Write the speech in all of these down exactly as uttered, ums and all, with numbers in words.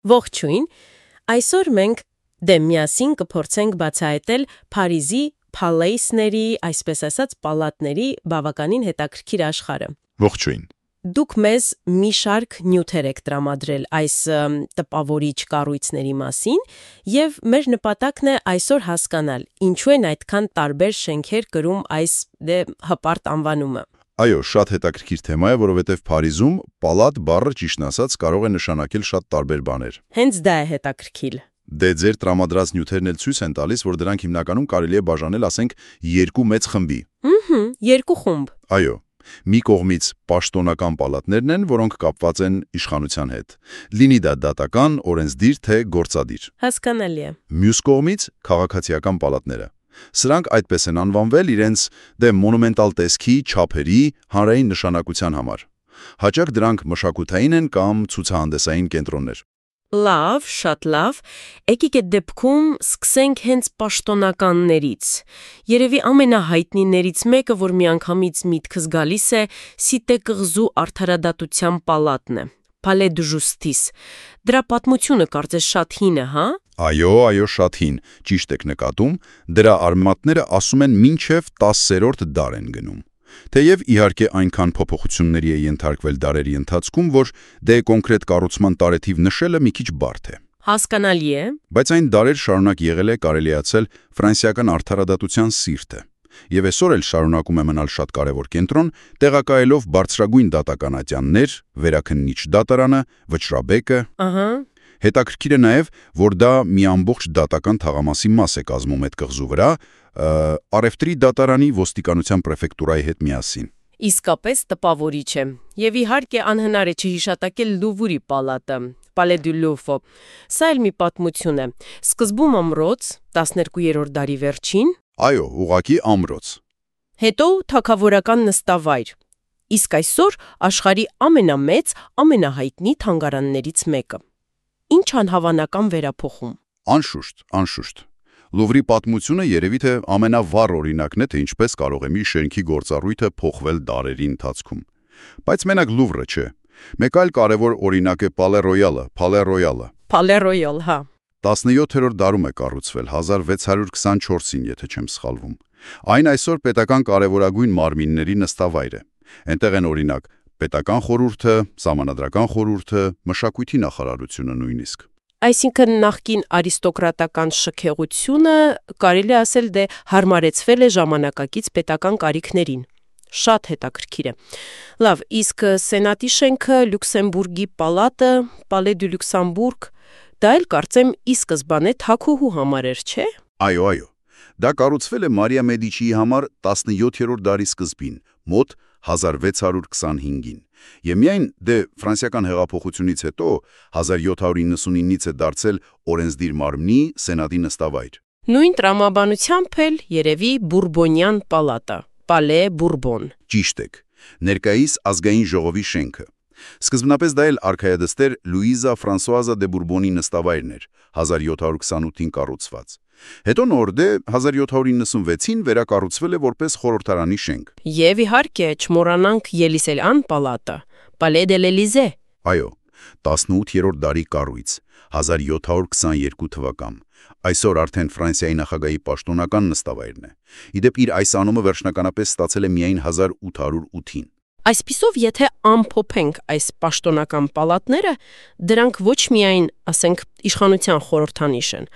Ողջույն, այսօր մենք դե միասին կփորձենք բացահայտել Փարիզի փալեյսների, այսպես ասած, պալատների բավականին հետաքրքիր աշխարհը։ Ողջույն։ Դուք մեզ մի շարք նյութեր եք տրամադրել այս տպավորիչ կառույցների մասին, եւ մեր նպատակն է այսօր հասկանալ, ինչու են այդքան տարբեր շենքեր կրում այս դե հպարտ անվանումը։ Այո, շատ հետաքրքիր թեմա է, որովհետև Փարիզում պալատ բառը ճիշտն ասած կարող է նշանակել շատ տարբեր բաներ։ Հենց դա է հետաքրքիր։ Դե ձեր տրամադրած նյութերն էլ ցույց են տալիս, որ դրանք հիմնականում կարելի է բաժանել, ասենք, երկու մեծ խմբի։ Ահա, երկու խումբ։ Այո, մի կողմից պաշտոնական պալատներն են, որոնք կապված են իշխանության հետ։ Լինի դա դատական, օրենսդիր թե գործադիր։ Հասկանալի է։ Մյուս կողմից քաղաքացիական պալատները։ Սրանք այդպես են անվանվել իրենց դե մոնումենտալ տեսքի, չափերի, հանրային նշանակության համար։ Հաճախ դրանք մշակութային են կամ ցուցահանդեսային կենտրոններ։ Լավ, շատ լավ։ Եկեք այդ դեպքում սկսենք հենց պաշտոնականներից։ Երևի ամենահայտնիներից մեկը, որ միանգամից միտքս գալիս է, Սիտե կղզու արդարադատության պալատն է, Palais de Justice։ Դրա պատմությունը կարծես շատ հին է, հա։ Այո, այո, շատ հին, ճիշտ եք նկատում, դրա արմատները ասում են մինչև տասերորդ դար են գնում։ Թեև իհարկե այնքան փոփոխությունների է ենթարկվել դարերի ընթացքում, որ դե կոնկրետ կառուցման տարեթիվ նշելը մի քիչ բարդ է։ Հասկանալի է։ Բայց այն դարեր շարունակ եղել է կարելիացել ֆրանսիական արդարադատության սիրտը։ Եվ այսօր էլ շարունակում է մնալ շատ կարևոր կենտրոն, տեղակայելով բարձրագույն դատական ատյաններ, վերաքննիչ դատարանը, վճռաբեկը։ Ահա։ Հետաքրքիր է նաև, որ դա մի ամբողջ դատական թաղամասի մաս է կազմում այդ կղզու վրա, առևտրի դատարանի ոստիկանության պրեֆեկտուրայի հետ միասին։ Իսկապես տպավորիչ է։ Եվ իհարկե անհնար է չհիշատակել Լուվրի պալատը, Palais du Louvre։ Սա էլ մի պատմություն է։ Սկզբում ամրոց, տասներկուերորդ դարի վերջին։ Այո, ուղղակի ամրոց։ Հետո թագավորական նստավայր։ Իսկ այսօր աշխարհի ամենամեծ, ամենահայտնի թանգարաններից մեկը։ Ինչ անհավանական վերափոխում։ Անշուշտ, անշուշտ։ Լուվրի պատմությունը երևի թե ամենավառ օրինակն է, թե ինչպես կարող է մի շենքի գործառույթը փոխվել դարերի ընթացքում։ Բայց մենակ Լուվրը չէ։ Մեկ այլ կարևոր օրինակ է Palais Royal-ը, Palais Royal-ը։ Palais Royal, հա։ տասնյոթերորդ դարում է կառուցվել, հազար վեց հարյուր քսանչորսին, եթե չեմ սխալվում։ Այն այսօր պետական կարևորագույն մարմինների նստավայր է։ Այնտեղ են օրինակ պետական խորհուրդը, սահմանադրական խորհուրդը, մշակույթի նախարարությունը նույնիսկ։ Այսինքն նախկին արիստոկրատական շքեղությունը կարելի ասել դե հարմարեցվել է ժամանակակից պետական կարիքներին։ Շատ հետաքրքիր է։ Լավ, իսկ Սենատի շենքը, Լյուքսեմբուրգի պալատը, Palais du Luxembourg, դա էլ կարծեմ ի սկզբանե թագուհու համար էր, չէ։ Այո, այո։ Դա կառուցվել է Մարիա Մեդիչիի համար տասնյոթերորդ դարի սկզբին, մոտ հազար վեց հարյուր քսանհինգին։ Եվ միայն դե ֆրանսիական հեղափոխությունից հետո հազար յոթ հարյուր իննսունինից է դարձել օրենսդիր մարմնի Սենատի նստավայր։ Նույն տրամաբանությամբ էլ երևի Բուրբոնյան պալատը, Palais Bourbon։ Ճիշտ եք։ Ներկայիս ազգային ժողովի շենքը։ Սկզբնապես դա էլ արքայադստեր Լուիզա Ֆրանսուազա դե Բուրբոնի նստավայրն էր, հազար յոթ հարյուր քսանութին կառուցված։ Հետո նոր դե հազար յոթ հարյուր իննսունվեցին վերակառուցվել է որպես խորհրդարանի շենք։ Եվ իհարկե չմոռանանք Ելիսեյան պալատը, Palais de l'Élysée։ Այո, տասնութերորդ դարի կառույց, հազար յոթ հարյուր քսաներկու թվական։ Այսօր արդեն Ֆրանսիայի նախագահի պաշտոնական նստավայրն է։ Իդեպ իր այս անունը վերջնականապես ստացել է միայն հազար ութ հարյուր ութին։ Այսպիսով, եթե ամփոփենք այս պաշտոնական պալատները, դրանք ոչ միայն, ասենք, իշխանության խորհրդանիշ են,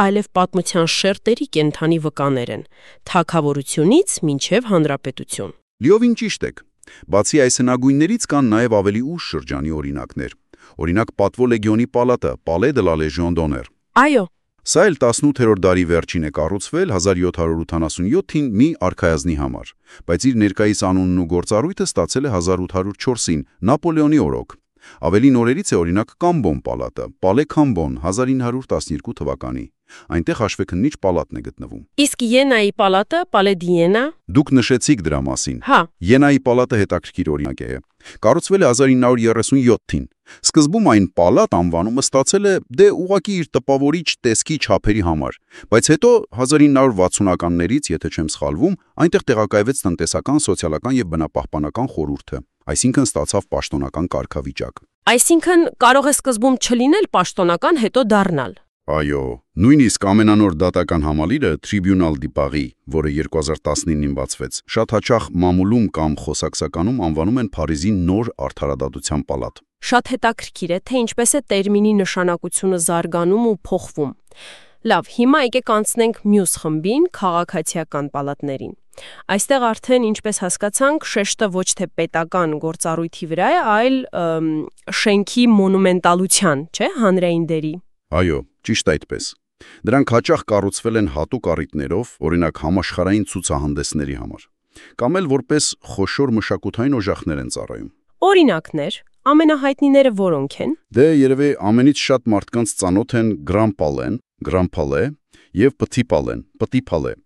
այլև պատմության շերտերի կենթանի վկաներ են, թագավորությունից մինչև հանրապետություն։ Լիովին ճիշտ եք։ Բացի այս հնագույններից կան նաև ավելի ուշ շրջանի օրինակներ։ Օրինակ Պատվո լեգիոնի պալատը, Palais de la Légion d'honneur։ Այո։ Սա էլ տասնութերորդ դարի վերջին է կառուցվել հազար յոթ հարյուր ութանասունյոթին մի արքայազնի համար, բայց իր ներկայիս անունն ու գործառույթը ստացել է հազար ութ հարյուր չորսին Նապոլեոնի օրոք։ Ավելի նորերից է օրինակ Կամբոն պալատը, Palais Cambon հազար ինը հարյուր տասներկու թվականի։ Այնտեղ հաշվեկնիչ պալատն է գտնվում։ Իսկ Յենայի պալատը, Palais d'Iéna։ Դուք նշեցիք դրա մասին։ Հա։ Յենայի պալատը հետաքրքիր օրինակ է։ Կառուցվել է հազար ինը հարյուր երեսունյոթին։ Սկզբում այն պալատ անվանումը ստացել է դե ուղղակի իր տպավորիչ տեսքի չափերի համար, բայց հետո հազար ինը հարյուր վաթսունականներից, եթե չեմ սխալվում, այնտեղ տեղակայվեց տնտեսական, սոցիալական եւ բնապահպանական խորհուրդը, այսինքն ստացավ պաշտոնական կարգավիճակ։ Այսինքն կարող է սկզբում չլինել պաշտոնական, հետո դառնալ։ Այո, նույնիսկ ամենանոր դատական համալիրը Tribunal di Paris, որը երկու հազար տասնինին բացվեց, շատ հաճախ մամուլում կամ խոսակցականում անվանում են Փարիզի նոր արդարադատության պալատ։ Շատ հետաքրքիր է, թե ինչպես է տերմինի նշանակությունը զարգանում ու փոխվում։ Լավ, հիմա եկեք անցնենք մյուս խմբին՝ քաղաքացիական պալատներին։ Այստեղ արդեն, ինչպես հասկացանք, շեշտը ոչ թե պետական գործառույթի վրա է, այլ ըմ, շենքի մոնումենտալության, չէ՞, հանրային դերի։ Այո, ճիշտ այդպես։ Դրանք հաճախ կառուցվել են հատուկ առիթներով, օրինակ համաշխարհային ցուցահանդեսների համար, կամ էլ որպես խոշոր մշակութային օժախներ են ծառայում։ Օրինակներ, ամենահայտնիները որոնք են։ Դե երևի ամենից շատ մարդկանց ծանոթ են Grand Palais, Grand Palais եւ Petit Palais, Petit Palais։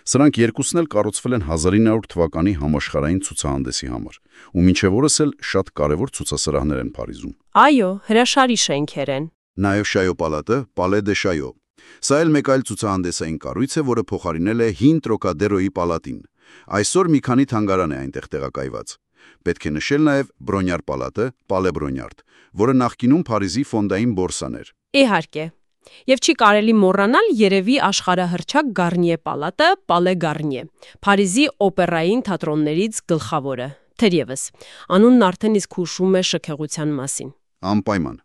Սրանք երկուսն էլ կառուցվել են հազար ինը հարյուր թվականի համաշխարհային ցուցահանդեսի համար, ու մինչև օրս էլ շատ կարևոր ցուցասրահներ են Փարիզում։ Այո, հրաշալի շենքեր են։ Նաև Շայո պալատը, Palais de Chaillot։ Սա էլ մեկ այլ ցուցահանդեսային կառույց է, որը փոխարինել է հին Տրոկադերոյի պալատին։ Այսօր մի քանի թանգարան է այնտեղ տեղակայված։ Պետք է նշել նաև Բրոնյար պալատը, Palais Brongniart, որը նախկինում Փարիզի ֆոնդային բորսան էր։ Իհարկե։ Եվ չի կարելի մոռանալ երևի աշխարհահռչակ Garnier պալատը, Palais Garnier, Փարիզի օպերային թատրոններից գլխավորը։ Թերևս, անունն արդեն իսկ հուշում է շքեղության մասին։ Անպայման։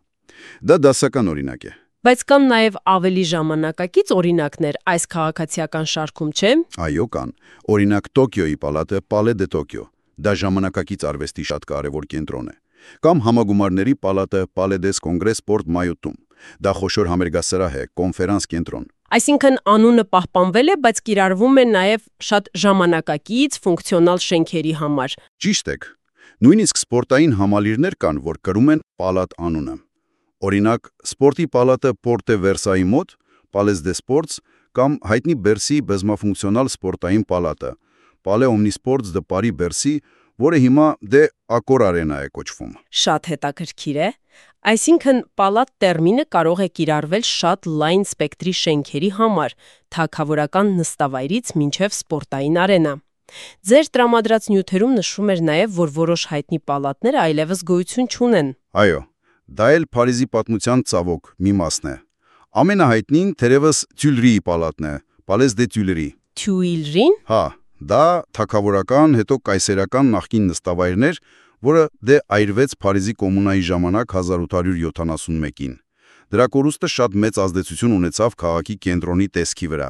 Դա դասական օրինակ է։ Բայց կան նաև ավելի ժամանակակից օրինակներ այս քաղաքացիական շարքում, չէ՞։ Այո, կան։ Օրինակ Տոկիոյի պալատը, Palais de Tokyo։ Դա ժամանակակից արվեստի շատ կարևոր կենտրոն է։ Կամ համագումարների պալատը, Palais des Congrès Sport Mayotte-ում։ Դա խոշոր համերգասրահ է, կոնֆերանս կենտրոն։ Այսինքն անունը պահպանվել է, բայց կիրառվում է նաև շատ ժամանակակից ֆունկցիոնալ շենքերի համար։ Ճիշտ եք։ Նույնիսկ սպորտային համալիրներ կան, որ կրում են պալատ անունը։ Օրինակ, սպորտի պալատը Porte Versailles-ի մոտ, Palais des Sports, կամ հայտնի Բերսիի բազմաֆունկցիոնալ սպորտային պալատը, Palais Omnisports de Paris Bercy, որը հիմա դե Accor Arena է կոչվում։ Շատ հետաքրքիր է։ Այսինքն պալատ տերմինը կարող է կիրառվել շատ լայն սպեկտրի շենքերի համար, թագավորական նստավայրից մինչև սպորտային արենա։ Ձեր տրամադրած նյութերում նշվում էր նաև, որ որոշ հայտնի պալատներ այլևս գոյություն չունեն։ Այո, դա էլ Փարիզի պատմության ծավոք մի մասն է։ Ամենահայտնին թերևս Tuileries պալատն է, Palais des Tuileries։ Tuileries-ին։ Հա, դա թագավորական, հետո կայսերական նախկին նստավայրներ, որը դե այրվեց Փարիզի կոմունայի ժամանակ հազար ութ հարյուր յոթանասունմեկին։ Դրա կորուստը շատ մեծ ազդեցություն ունեցավ քաղաքի կենտրոնի տեսքի վրա,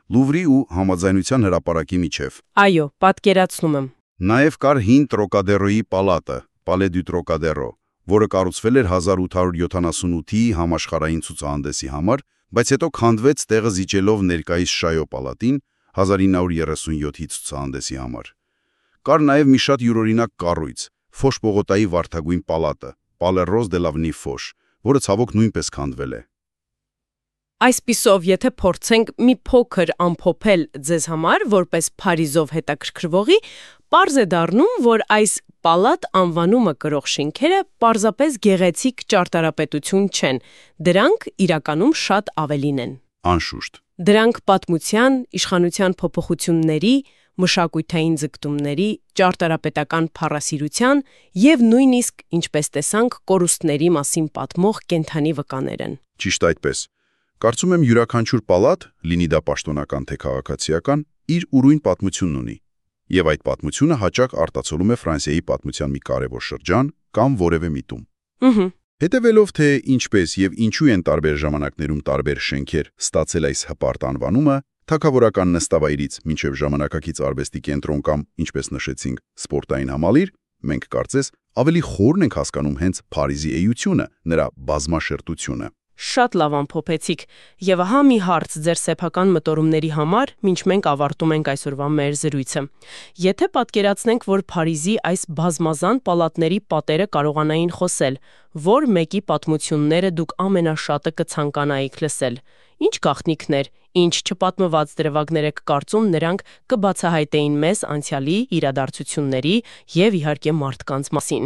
Լուվրի ու Համաձայնության հրապարակի միջև։ Այո, պատկերացնում եմ։ Նաև կար հին Տրոկադերոյի պալատը, Palais du Trocadero, որը կառուցվել էր հազար ութ հարյուր յոթանասունութի համաշխարհային ցուցահանդեսի համար, բայց հետո քանդվեց տեղը զիջելով ներկայիս Շայո պալատին հազար ինը հարյուր երեսունյոթի ցուցահանդեսի համար։ Կար նաև մի շատ յուրօրինակ կառույց, Ֆոշ Պողոտայի վարդագույն պալատը, Palais Rose de l'Avenue Foch, որը ցավոք նույնպես քանդվել է։ Այսպիսով, եթե փորձենք մի փոքր ամփոփել ձեզ համար, որպես Փարիզով հետաքրքրվողի, պարզ է դառնում, որ այս պալատ անվանումը կրող շենքերը պարզապես գեղեցիկ ճարտարապետություն չեն, դրանք իրականում շատ ավելին են։ Անշուշտ։ Դրանք պատմության, իշխանության փոփոխությունների, մշակութային ձգտումների, ճարտարապետական փառասիրության եւ նույնիսկ, ինչպես տեսանք, կորուստների մասին պատմող կենդանի վկաներ են։ Ճիշտ այդպես։ Կարծում եմ յուրաքանչյուր պալատ, լինի դա պաշտոնական թե քաղաքացիական, իր ուրույն պատմությունն ունի, եւ այդ պատմությունը հաճախ արտացոլում է Ֆրանսիայի պատմության մի կարևոր շրջան կամ որևէ միտում։ Ահա։ Հետևելով թե ինչպես եւ ինչու են տարբեր ժամանակներում տարբեր շենքեր ստացել այս հպարտ անվանումը, թագավորական նստավայրից մինչև ժամանակակից արվեստի կենտրոն կամ, ինչպես նշեցինք, սպորտային համալիր, մենք կարծես ավելի խորն ենք հասկանում հենց Փարիզի էությունը, նրա բազմաշերտությունը։ Շատ լավ ամփոփեցիք, եւ ահա մի հարց ձեր սեփական մտորումների համար, ինչ մենք ավարտում ենք այսօրվա մեր զրույցը։ Եթե պատկերացնենք, որ Փարիզի այս բազմազան պալատների պատերը կարողանային խոսել, որ մեկի պատմությունները դուք ամենաշատը կցանկանայիք լսել, ինչ գաղտնիքներ, ինչ չպատմված դրվագներ եք կարծում նրանք կբացահայտեին մեզ անցյալի իրադարձությունների եւ իհարկե մարդկանց մասին։